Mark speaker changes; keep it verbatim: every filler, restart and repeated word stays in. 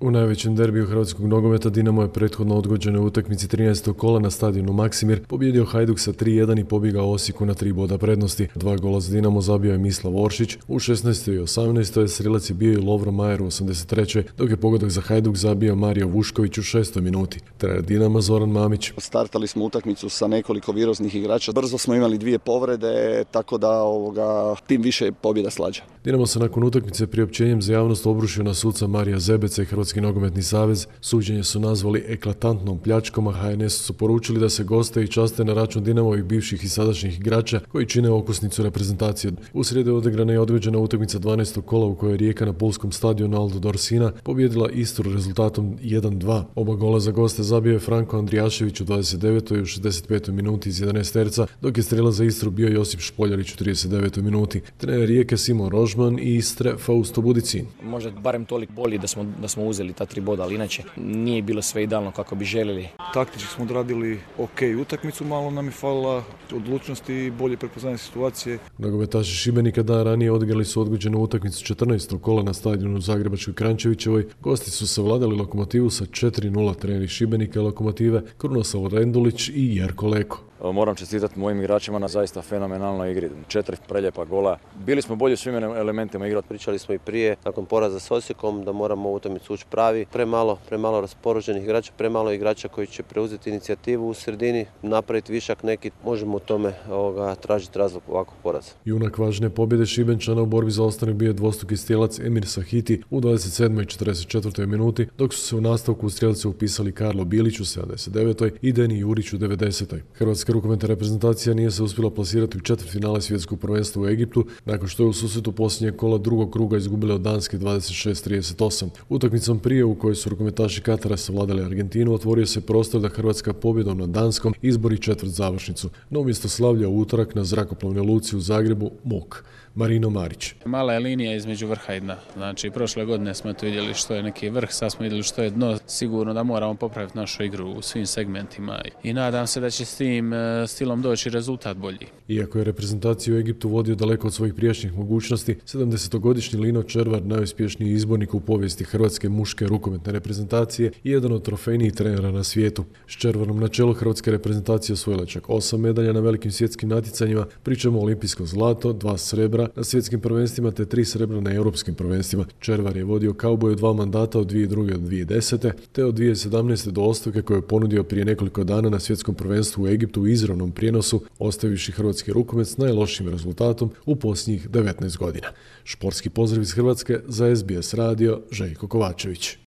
Speaker 1: U najvećem derbiju hrvatskog nogometa Dinamo je prethodno odgođene u utakmici trinaestog kola na stadionu Maksimir pobjedio Hajduk sa tri jedan i pobjegao Osijeku na tri boda prednosti. Dva gola za Dinamo zabio je Mislav Oršić, u šesnaestoj i osamnaestoj strilac je bio i Lovro Majer u osamdeset trećoj dok je pogodak za Hajduk zabio Mario Vušković u šestoj minuti. Trener Dinama Zoran Mamić.
Speaker 2: Startali smo utakmicu sa nekoliko viroznih igrača, brzo smo imali dvije povrede, tako da ovoga, tim više je pobjeda slađa.
Speaker 1: Dinamo se nakon utakmice priopćenjem za javnost obrušio na suca Marija Zebeca i Hrvatski nogometni savez. Suđenje su nazvali eklatantnom pljačkom, a ha en es su poručili da se goste i časte na račun Dinamovih bivših i sadašnjih igrača koji čine okosnicu reprezentacije. U srijedu je odigrana i odgođena utakmica dvanaestog kola u kojoj je Rijeka na pulskom stadionu Aldo Dorsina pobjedila Istru rezultatom jedan dva. Oba gola za goste zabio je Franko Andrijašević u dvadeset devetoj i u šezdeset petoj minuti iz jedanaest terca, dok je strelac za Istru bio Josip Špoljarić u trideset devetoj minuti. Trener Rijeke Simon Rožman i Istre Fausto Budicin.
Speaker 3: Možda barem toliko bolji da smo, da smo uzeli ta tri boda, ali inače nije bilo sve idealno kako bi željeli.
Speaker 4: Taktički smo odradili ok utakmicu, malo nam je falila odlučnosti i bolje prepoznanje situacije.
Speaker 1: Nogometaši Šibenika dan ranije odigrali su odgođenu utakmicu četrnaestog kola na stadionu Zagrebačkoj Krančevićevoj. Gosti su savladali Lokomotivu sa četiri nula. Treneri Šibenika i Lokomotive Krunoslav Rendulić i Jerko Leko.
Speaker 5: Moram čestitati mojim igračima na zaista fenomenalnoj igri. Četiri preljepa gola. Bili smo bolji u svim elementima igre.
Speaker 6: Pričali smo i prije, nakon poraza s Osijekom, da moramo u utakmicu ući pravi. Premalo, premalo raspoređenih igrača, premalo igrača koji će preuzeti inicijativu u sredini, napraviti višak neki. Možemo u tome ovoga, tražiti razlog ovakvog poraza.
Speaker 1: Junak važne pobjede Šibenčana u borbi za ostanak bio je dvostruki strijelac Emir Sahiti u dvadeset sedmoj i četrdeset četvrtoj minuti, dok su se u nastavku u strijelice upisali Karlo Bilić u sedamdeset devetoj i Deni Jurić u devedesetoj. Hrvatska rukometna reprezentacija nije se uspjela plasirati u četvrtfinale svjetskog prvenstva u Egiptu nakon što je u susretu posljednjeg kola drugog kruga izgubila od Danske dvadeset šest trideset osam. Utakmicom prije u kojoj su rukometaši Katara savladali Argentinu otvorio se prostor da Hrvatska pobjedom nad Danskom izbori četvrt završnicu. No umjesto slavlja u utorak na zrakoplovnoj luci u Zagrebu muk. Marino Marić.
Speaker 7: Mala je linija između vrha i dna. Znači, prošle godine smo to vidjeli što je neki vrh, sad smo vidjeli što je dno. Sigurno da moramo popraviti našu igru u svim segmentima i nadam se da će s tim stilom doći rezultat bolji.
Speaker 1: Iako je reprezentaciju u Egiptu vodio daleko od svojih prijašnjih mogućnosti, sedamdesetogodišnji Lino Červar, najuspješniji izbornik u povijesti hrvatske muške rukometne reprezentacije i jedan od trofejnijih trenera na svijetu. S Červarom na čelu hrvatske reprezentacije osvojila čak osam medalja na velikim svjetskim natjecanjima, pričamo olimpijsko zlato, dva srebra na svjetskim prvenstvima te tri srebra na europskim prvenstvima. Červar je vodio kauboju dva mandata od dvije tisuće druge do dvije tisuće desete te od dvije tisuće sedamnaeste do ostavke koju je ponudio prije nekoliko dana na svjetskom prvenstvu u Egiptu u izravnom prijenosu, ostavivši hrvatski rukomet s najlošijim rezultatom u posljednjih devetnaest godina. Športski pozdrav iz Hrvatske za es be es radio, Željko Kovačević.